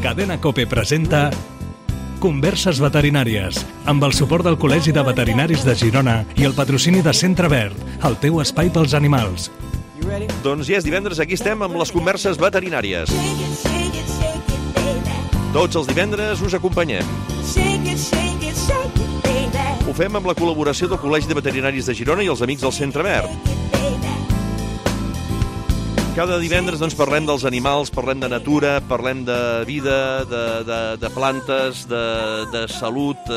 Cadena COPE presenta Converses veterinàries, amb el suport del Col·legi de Veterinaris de Girona i el patrocini de Centre Verd, el teu espai pels animals. Doncs ja és divendres, aquí estem amb les converses veterinàries. Tots els divendres us acompanyem. Ho fem amb la col·laboració del Col·legi de Veterinaris de Girona i els amics del Centre Verd. Cada divendres doncs, parlem dels animals, parlem de natura, parlem de vida, de plantes, de salut,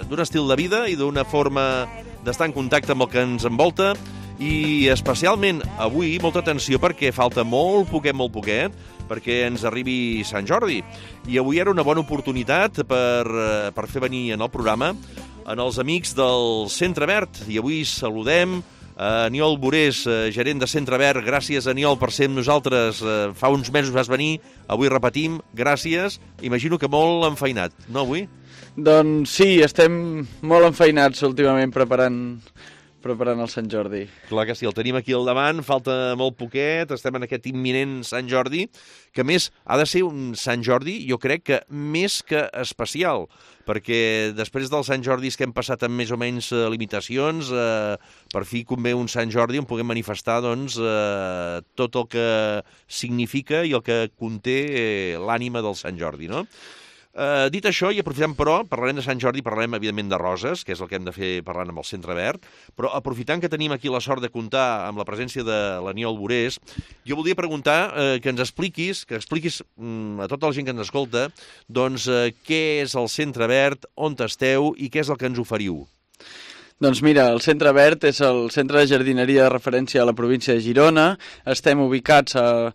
d'un estil de vida i d'una forma d'estar en contacte amb el que ens envolta. I especialment avui, molta atenció, perquè falta molt poquet, perquè ens arribi Sant Jordi. I avui era una bona oportunitat per fer venir en el programa en els amics del Centre Verd. I avui saludem Aniol Borés, gerent de Centre Verd. Gràcies, Aniol, per ser amb nosaltres. Fa uns mesos vas venir, avui repetim, gràcies. Imagino que molt enfeinat, no, avui? Doncs sí, estem molt enfeinats últimament preparant el Sant Jordi. Clar que sí, el tenim aquí al davant, falta molt poquet, estem en aquest imminent Sant Jordi, que a més ha de ser un Sant Jordi, jo crec que més que especial, perquè després dels Sant Jordis que hem passat amb més o menys limitacions, per fi convé un Sant Jordi on puguem manifestar doncs, tot el que significa i el que conté l'ànima del Sant Jordi, no? Dit això, i aprofitant però, parlarem de Sant Jordi, parlarem evidentment de roses, que és el que hem de fer parlant amb el Centre Verd, però aprofitant que tenim aquí la sort de comptar amb la presència de l'Aniol Borés, jo voldria preguntar que ens expliquis, a tota la gent que ens escolta, doncs què és el Centre Verd, on esteu i què és el que ens oferiu? Doncs mira, el Centre Verd és el centre de jardineria de referència a la província de Girona. Estem ubicats a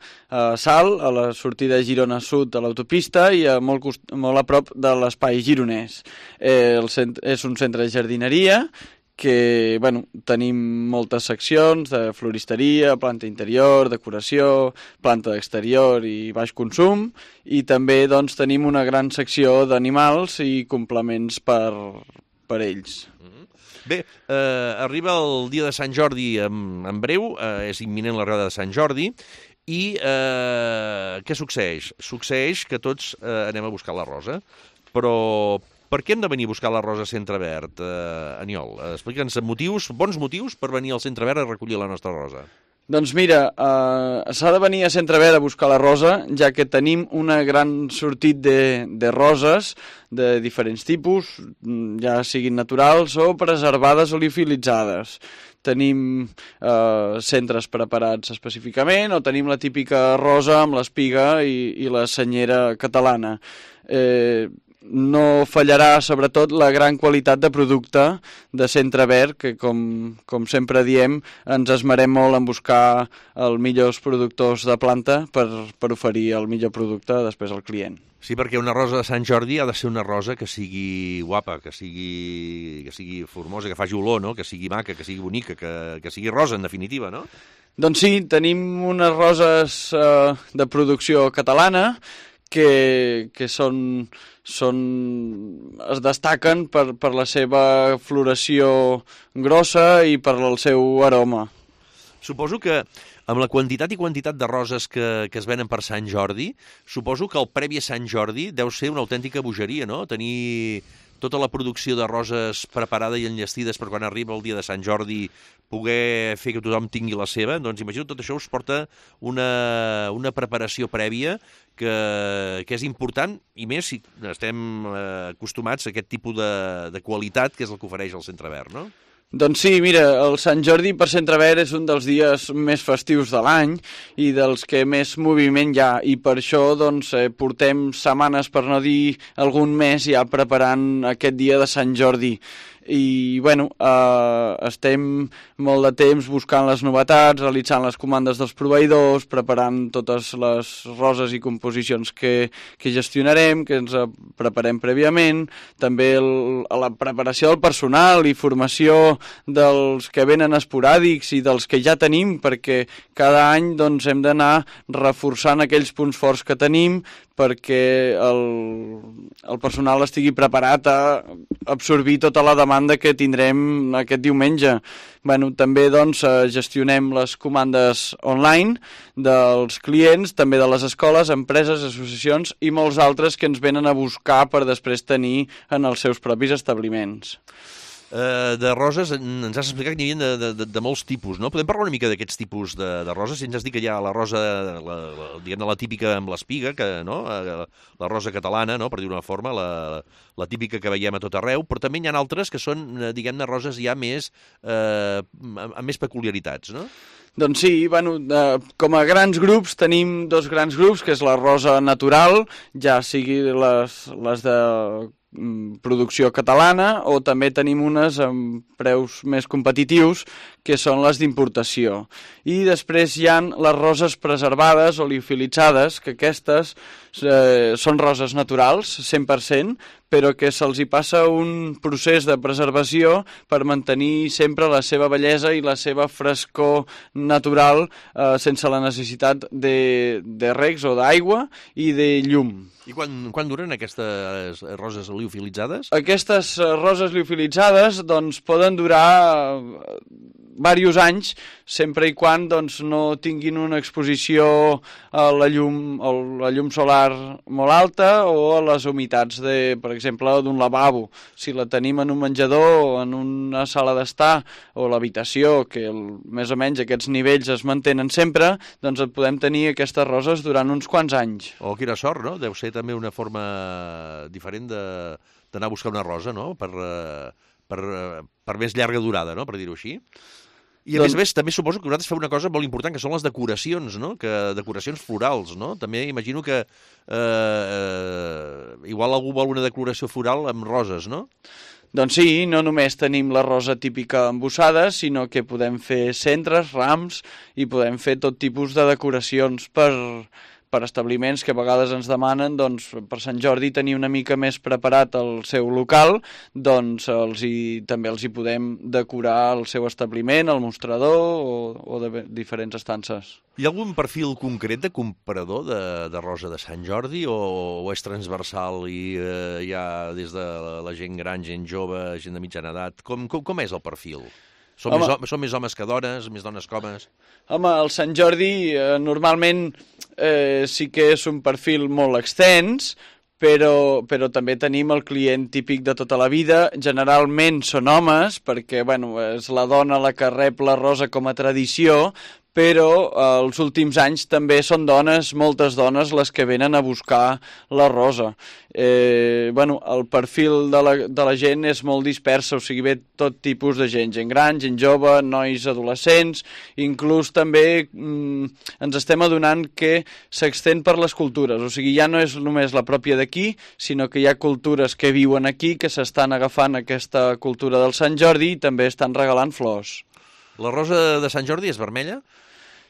Salt, a la sortida de Girona Sud de l'autopista i molt a prop de l'espai gironès. És un centre de jardineria que tenim moltes seccions de floristeria, planta interior, decoració, planta d'exterior i baix consum, i també doncs, tenim una gran secció d'animals i complements per ells. Bé, arriba el dia de Sant Jordi en breu, és imminent l'arribada de Sant Jordi, i què succeeix? Succeeix que tots anem a buscar la rosa, però per què hem de venir a buscar la rosa a Centre Verd, Aniol? Explica'ns bons motius per venir al Centre Verd a recollir la nostra rosa. Doncs mira, s'ha de venir a Centre Verd a buscar la rosa, ja que tenim una gran sortit de roses de diferents tipus, ja siguin naturals o preservades o liofilitzades. Tenim centres preparats específicament o tenim la típica rosa amb l'espiga i la senyera catalana. No fallarà, sobretot, la gran qualitat de producte de Centre Verd, que, com sempre diem, ens esmerem molt en buscar els millors productors de planta per oferir el millor producte després al client. Sí, perquè una rosa de Sant Jordi ha de ser una rosa que sigui guapa, que sigui formosa, que faci olor, no? Que sigui maca, que sigui bonica, que sigui rosa, en definitiva, no? Doncs sí, tenim unes roses de producció catalana que es destaquen per la seva floració grossa i per el seu aroma. Suposo que amb la quantitat de roses que es venen per Sant Jordi, suposo que el previ a Sant Jordi deu ser una autèntica bogeria, no? Tenir tota la producció de roses preparada i enllestides per quan arriba el dia de Sant Jordi poder fer que tothom tingui la seva, doncs imagino tot això us porta una preparació prèvia que és important, i més si estem acostumats a aquest tipus de qualitat que és el que ofereix el Centre Verd, no? Doncs sí, mira, el Sant Jordi per Centre Verd és un dels dies més festius de l'any i dels que més moviment hi ha, i per això doncs, portem setmanes, per no dir algun mes, ja preparant aquest dia de Sant Jordi. I, estem molt de temps buscant les novetats, realitzant les comandes dels proveïdors, preparant totes les roses i composicions que gestionarem, que ens preparem prèviament, també la preparació del personal i formació dels que venen esporàdics i dels que ja tenim, perquè cada any doncs, hem d'anar reforçant aquells punts forts que tenim perquè el personal estigui preparat a absorbir tota la demanda que tindrem aquest diumenge. Bueno, també doncs, gestionem les comandes online dels clients, també de les escoles, empreses, associacions i molts altres que ens venen a buscar per després tenir en els seus propis establiments. De roses, ens has explicat que n'hi havia de molts tipus, no? Podem parlar una mica d'aquests tipus de roses? Si ens has dit que hi ha la rosa, diguem-ne, la típica amb l'espiga, no? La rosa catalana, no? Per dir-ho d'una forma, la típica que veiem a tot arreu, però també hi ha altres que són, diguem-ne, roses ja més, amb més peculiaritats, no? Doncs sí, bueno, com a grans grups tenim dos grans grups, que és la rosa natural, ja sigui les de producció catalana, o també tenim unes amb preus més competitius, que són les d'importació. I després hi ha les roses preservades o liofilitzades, que aquestes són roses naturals, 100%, però que se'ls hi passa un procés de preservació per mantenir sempre la seva bellesa i la seva frescor natural sense la necessitat de regs o d'aigua i de llum. I quan duren aquestes roses liofilitzades? Aquestes roses liofilitzades doncs, poden durar diversos anys, sempre i quan doncs, no tinguin una exposició a la llum solar molt alta o a les humitats, per exemple, d'un lavabo. Si la tenim en un menjador, en una sala d'estar o l'habitació, que més o menys aquests nivells es mantenen sempre, doncs podem tenir aquestes roses durant uns quants anys. Oh, quina sort, no? Deu ser també una forma diferent d'anar a buscar una rosa, no? Per més llarga durada, no? Per dir-ho així. I a més, també suposo que vosaltres feu una cosa molt important, que són les decoracions, no? Decoracions florals, no? També imagino que igual algú vol una decoració floral amb roses, no? Doncs sí, no només tenim la rosa típica embossada, sinó que podem fer centres, rams, i podem fer tot tipus de decoracions per establiments que a vegades ens demanen, doncs, per Sant Jordi tenir una mica més preparat el seu local, doncs també els hi podem decorar el seu establiment, el mostrador o de diferents estances. Hi ha algun perfil concret de comprador de rosa de Sant Jordi o és transversal i hi ha des de la gent gran, gent jove, gent de mitjana edat? Com és el perfil? Són més homes que dones, més dones que homes? Home, el Sant Jordi normalment sí que és un perfil molt extens, però també tenim el client típic de tota la vida. Generalment són homes, perquè és la dona la que rep la rosa com a tradició, però els últims anys també són dones, moltes dones, les que venen a buscar la rosa. El perfil de la gent és molt dispersa, o sigui, ve tot tipus de gent gran, gent jove, nois adolescents, inclús també ens estem adonant que s'extén per les cultures, o sigui, ja no és només la pròpia d'aquí, sinó que hi ha cultures que viuen aquí, que s'estan agafant aquesta cultura del Sant Jordi i també estan regalant flors. La rosa de Sant Jordi és vermella?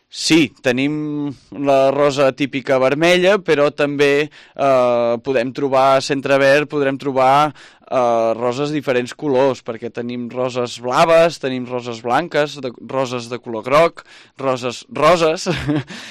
Sí, tenim la rosa típica vermella, però també podem trobar a Centre Verd, podrem trobar roses de diferents colors, perquè tenim roses blaves, tenim roses blanques, roses de color groc, roses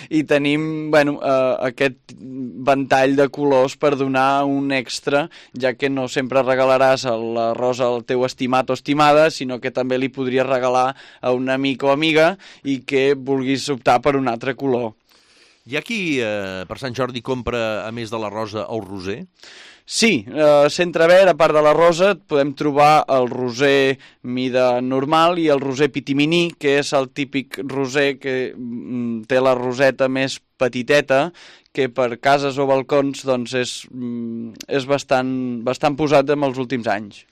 i tenim aquest ventall de colors per donar un extra, ja que no sempre regalaràs la rosa al teu estimat o estimada, sinó que també li podries regalar a un amic o amiga i que vulguis optar per un altre color. Hi ha qui per Sant Jordi compra, a més de la rosa, el roser? Sí, a Centre Verd, a part de la rosa, podem trobar el roser mida normal i el roser pitiminí, que és el típic roser que té la roseta més petiteta, que per cases o balcons doncs, és bastant posat en els últims anys.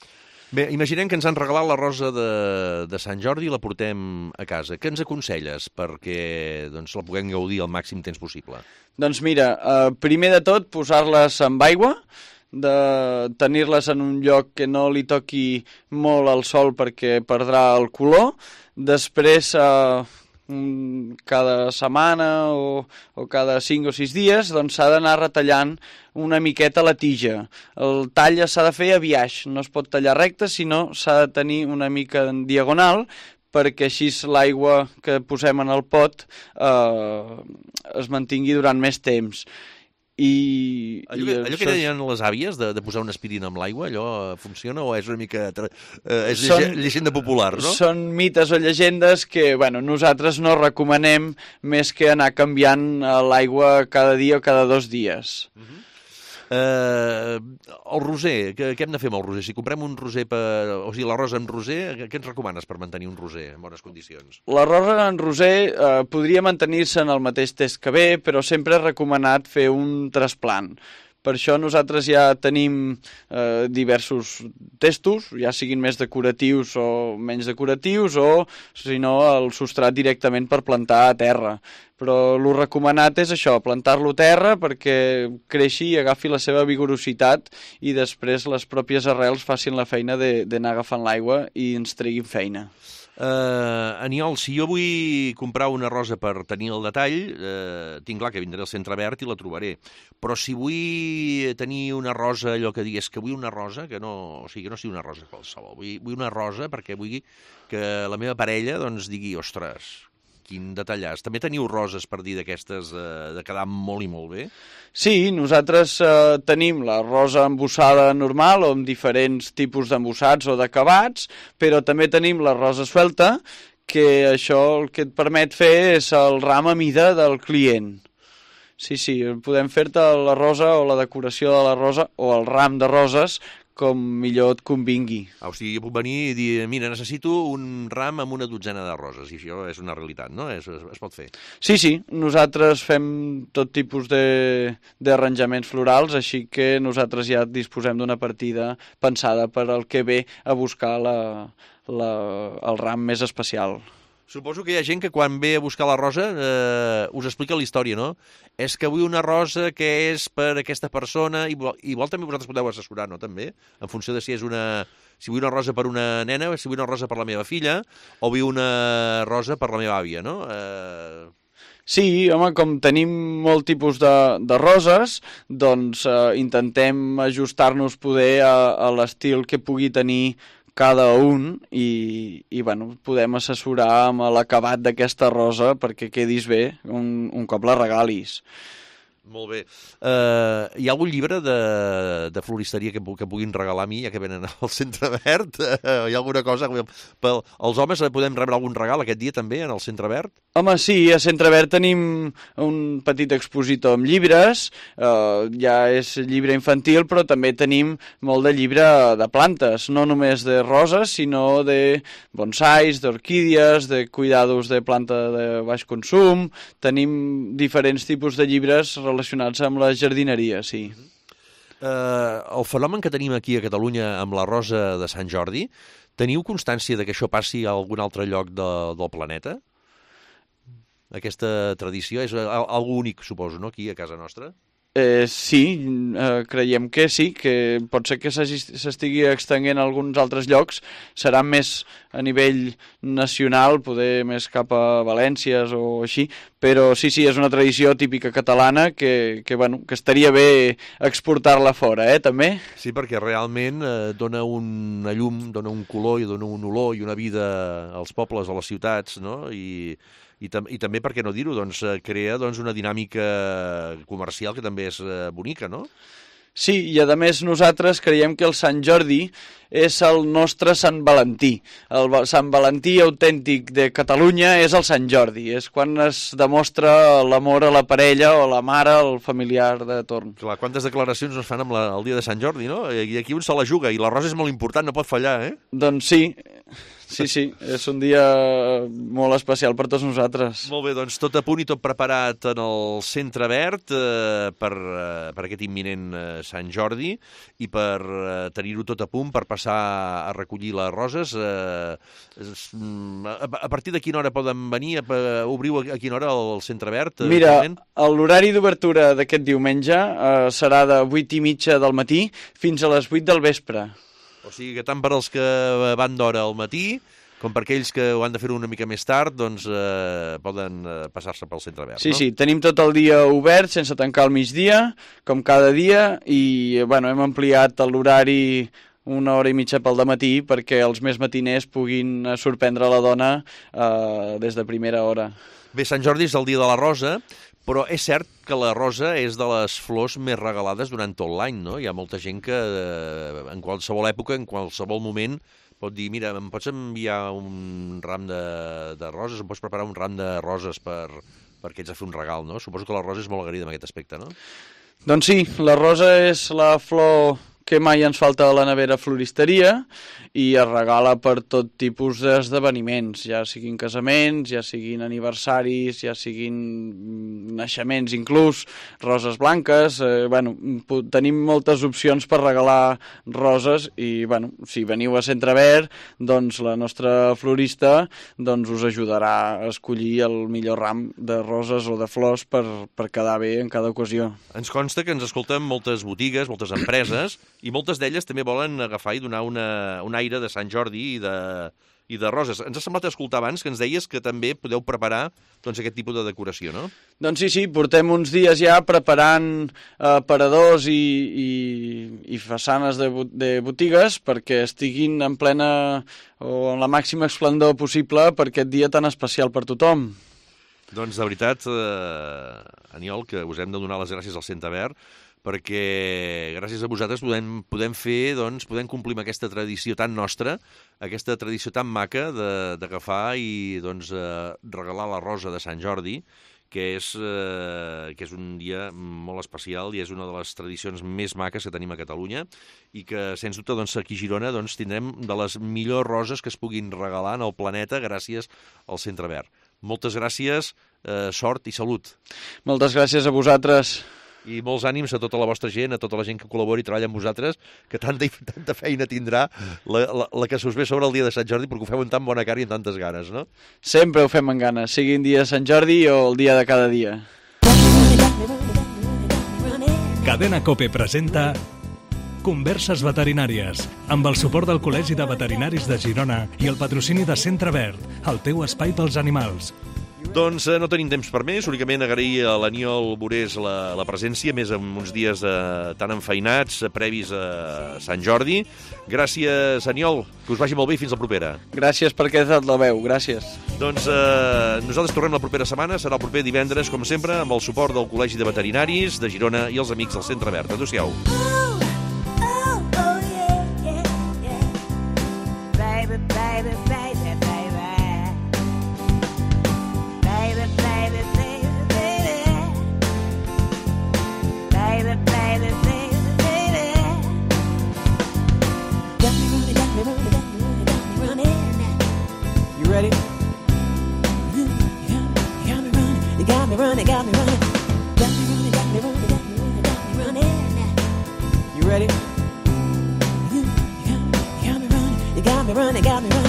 Bé, imaginem que ens han regalat la rosa de Sant Jordi i la portem a casa. Què ens aconselles perquè la puguem gaudir al màxim temps possible? Doncs mira, primer de tot, posar-les amb aigua, de tenir-les en un lloc que no li toqui molt el sol perquè perdrà el color. Després, cada setmana o cada 5 o 6 dies, doncs s'ha d'anar retallant una miqueta la tija. El tall s'ha de fer a biaix, no es pot tallar recte, sinó s'ha de tenir una mica en diagonal, perquè així l'aigua que posem en el pot es mantingui durant més temps. Allò que deien les àvies de posar una aspirina amb l'aigua, allò funciona o és una mica... és llegenda popular, no? Són mites o llegendes que nosaltres no recomanem més que anar canviant l'aigua cada dia o cada 2 dies. El roser, què hem de fer amb el roser? Si comprem un roser, o sigui, l'arròs en roser, què ens recomanes per mantenir un roser en bones condicions? L'arròs en roser podria mantenir-se en el mateix test que ve, però sempre és recomanat fer un trasplant. Per això nosaltres ja tenim diversos testos, ja siguin més decoratius o menys decoratius, o, si no, el substrat directament per plantar a terra. Però el recomanat és això, plantar-lo a terra perquè creixi i agafi la seva vigorositat i després les pròpies arrels facin la feina d'anar agafant l'aigua i ens treguin feina. Aniol, si jo vull comprar una rosa per tenir el detall, tinc clar que vindré al Centre Verd i la trobaré. Però si vull tenir una rosa, allò que digués que vull una rosa, que no sigui una rosa qualsevol, vull una rosa perquè vull que la meva parella doncs digui, ostres, quin detallàs. També teniu roses per dir d'aquestes de quedar molt i molt bé? Sí, nosaltres tenim la rosa embossada normal o amb diferents tipus d'embossats o d'acabats, però també tenim la rosa suelta, que això el que et permet fer és el ram a mida del client. Sí, podem fer-te la rosa o la decoració de la rosa o el ram de roses com millor et convingui. O sigui, jo puc venir i dir, mira, necessito un ram amb una dotzena de roses, i això és una realitat, no? Es pot fer. Sí, nosaltres fem tot tipus d'arranjaments florals, així que nosaltres ja disposem d'una partida pensada per al que ve a buscar el ram més especial. Suposo que hi ha gent que quan ve a buscar la rosa us explica la història, no? És que vull una rosa que és per aquesta persona, igual també vosaltres podeu assessorar, no? També, en funció de si vull una rosa per una nena, si vull una rosa per la meva filla, o vull una rosa per la meva àvia, no? Sí, home, com tenim molt tipus de roses, doncs intentem ajustar-nos poder a l'estil que pugui tenir cada un i podem assessorar amb l'acabat d'aquesta rosa perquè quedis bé un cop la regalis. Molt bé. Hi ha algun llibre de floristeria que puguin regalar a mi, ja que venen al Centre Verd? Hi ha alguna cosa? Els homes podem rebre algun regal aquest dia també en el Centre Verd? Home, sí, a Centre Verd tenim un petit expositor amb llibres, ja és llibre infantil, però també tenim molt de llibre de plantes, no només de roses, sinó de bonsais, d'orquídies, de cuidados de planta de baix consum. Tenim diferents tipus de llibres relacionats amb la jardineria, sí. El fenomen que tenim aquí a Catalunya amb la rosa de Sant Jordi, teniu constància de que això passi a algun altre lloc del planeta? Aquesta tradició és algo únic, suposo, no?, aquí a casa nostra? Sí, creiem que sí, que pot ser que s'estigui extenguent a alguns altres llocs, serà més a nivell nacional, poder més cap a Valències o així, però sí, és una tradició típica catalana que estaria bé exportar-la fora, també. Sí, perquè realment dona una llum, dona un color i dona un olor i una vida als pobles, a les ciutats, no?, i també, per què no dir-ho, crea una dinàmica comercial que també és bonica, no? Sí, i a més nosaltres creiem que el Sant Jordi és el nostre Sant Valentí. El Sant Valentí autèntic de Catalunya és el Sant Jordi, és quan es demostra l'amor a la parella o a la mare, al familiar de torn. Clar, quantes declaracions es fan el dia de Sant Jordi, no? I aquí un se la juga, i la rosa és molt important, no pot fallar, eh? Doncs sí, és un dia molt especial per tots nosaltres. Molt bé, doncs tot a punt i tot preparat en el Centre Verd per aquest imminent Sant Jordi i per tenir-ho tot a punt per passar a recollir les roses. A partir de quina hora poden venir? Obriu a quina hora el Centre Verd? Mira, l'horari d'obertura d'aquest diumenge serà de 8:30 del matí fins a les 8 del vespre. O sigui que tant per als que van d'hora al matí com per aquells que ho han de fer una mica més tard, doncs poden passar-se pel Centre Verd, no? Sí, tenim tot el dia obert, sense tancar al migdia, com cada dia, i hem ampliat l'horari 1 hora i mitja pel dematí perquè els més matiners puguin sorprendre la dona des de primera hora. Bé, Sant Jordi és el dia de la rosa, Però és cert que la rosa és de les flors més regalades durant tot l'any, no? Hi ha molta gent que en qualsevol època, en qualsevol moment, pot dir, mira, em pots enviar un ram de roses, em pots preparar un ram de roses perquè ets a fer un regal, no? Suposo que la rosa és molt agraïda en aquest aspecte, no? Doncs sí, la rosa és la flor que mai ens falta a la nevera floristeria i es regala per tot tipus d'esdeveniments, ja siguin casaments, ja siguin aniversaris, ja siguin naixements inclús, roses blanques, tenim moltes opcions per regalar roses i, si veniu a Centre Verd, doncs la nostra florista us ajudarà a escollir el millor ram de roses o de flors per quedar bé en cada ocasió. Ens consta que ens escolten moltes botigues, moltes empreses, i moltes d'elles també volen agafar i donar un aire de Sant Jordi i de roses. Ens ha semblat escoltar abans que ens deies que també podeu preparar aquest tipus de decoració, no? Doncs sí, portem uns dies ja preparant aparadors i façanes de botigues perquè estiguin en plena o en la màxima esplendor possible per aquest dia tan especial per tothom. Doncs de veritat, Aniol, que us hem de donar les gràcies al Centre Verd, perquè gràcies a vosaltres podem fer, podem complir amb aquesta tradició tan nostra, aquesta tradició tan maca d'agafar i regalar la rosa de Sant Jordi, que és un dia molt especial i és una de les tradicions més maques que tenim a Catalunya i que, sens dubte, aquí a Girona tindrem de les millors roses que es puguin regalar en el planeta gràcies al Centre Verd. Moltes gràcies, sort i salut. Moltes gràcies a vosaltres. I molts ànims a tota la vostra gent, a tota la gent que col·labora i treballa amb vosaltres, que tanta feina tindrà la que s'us ve sobre el dia de Sant Jordi, perquè ho feu amb tan bona cara i amb tantes ganes, no? Sempre ho fem amb ganes, sigui el dia de Sant Jordi o el dia de cada dia. Cadena COPE presenta Converses veterinàries, amb el suport del Col·legi de Veterinaris de Girona i el patrocini de Centre Verd, el teu espai pels animals. Doncs no tenim temps per més, únicament agrair a l'Aniol Borés la presència, més en uns dies tan enfeinats, previs a Sant Jordi. Gràcies, Aniol, que us vagi molt bé i fins la propera. Gràcies per haver dat la veu, gràcies. Doncs nosaltres tornem la propera setmana, serà el proper divendres, com sempre, amb el suport del Col·legi de Veterinaris de Girona i els amics del Centre Verd. Adéu-siau. Got me running.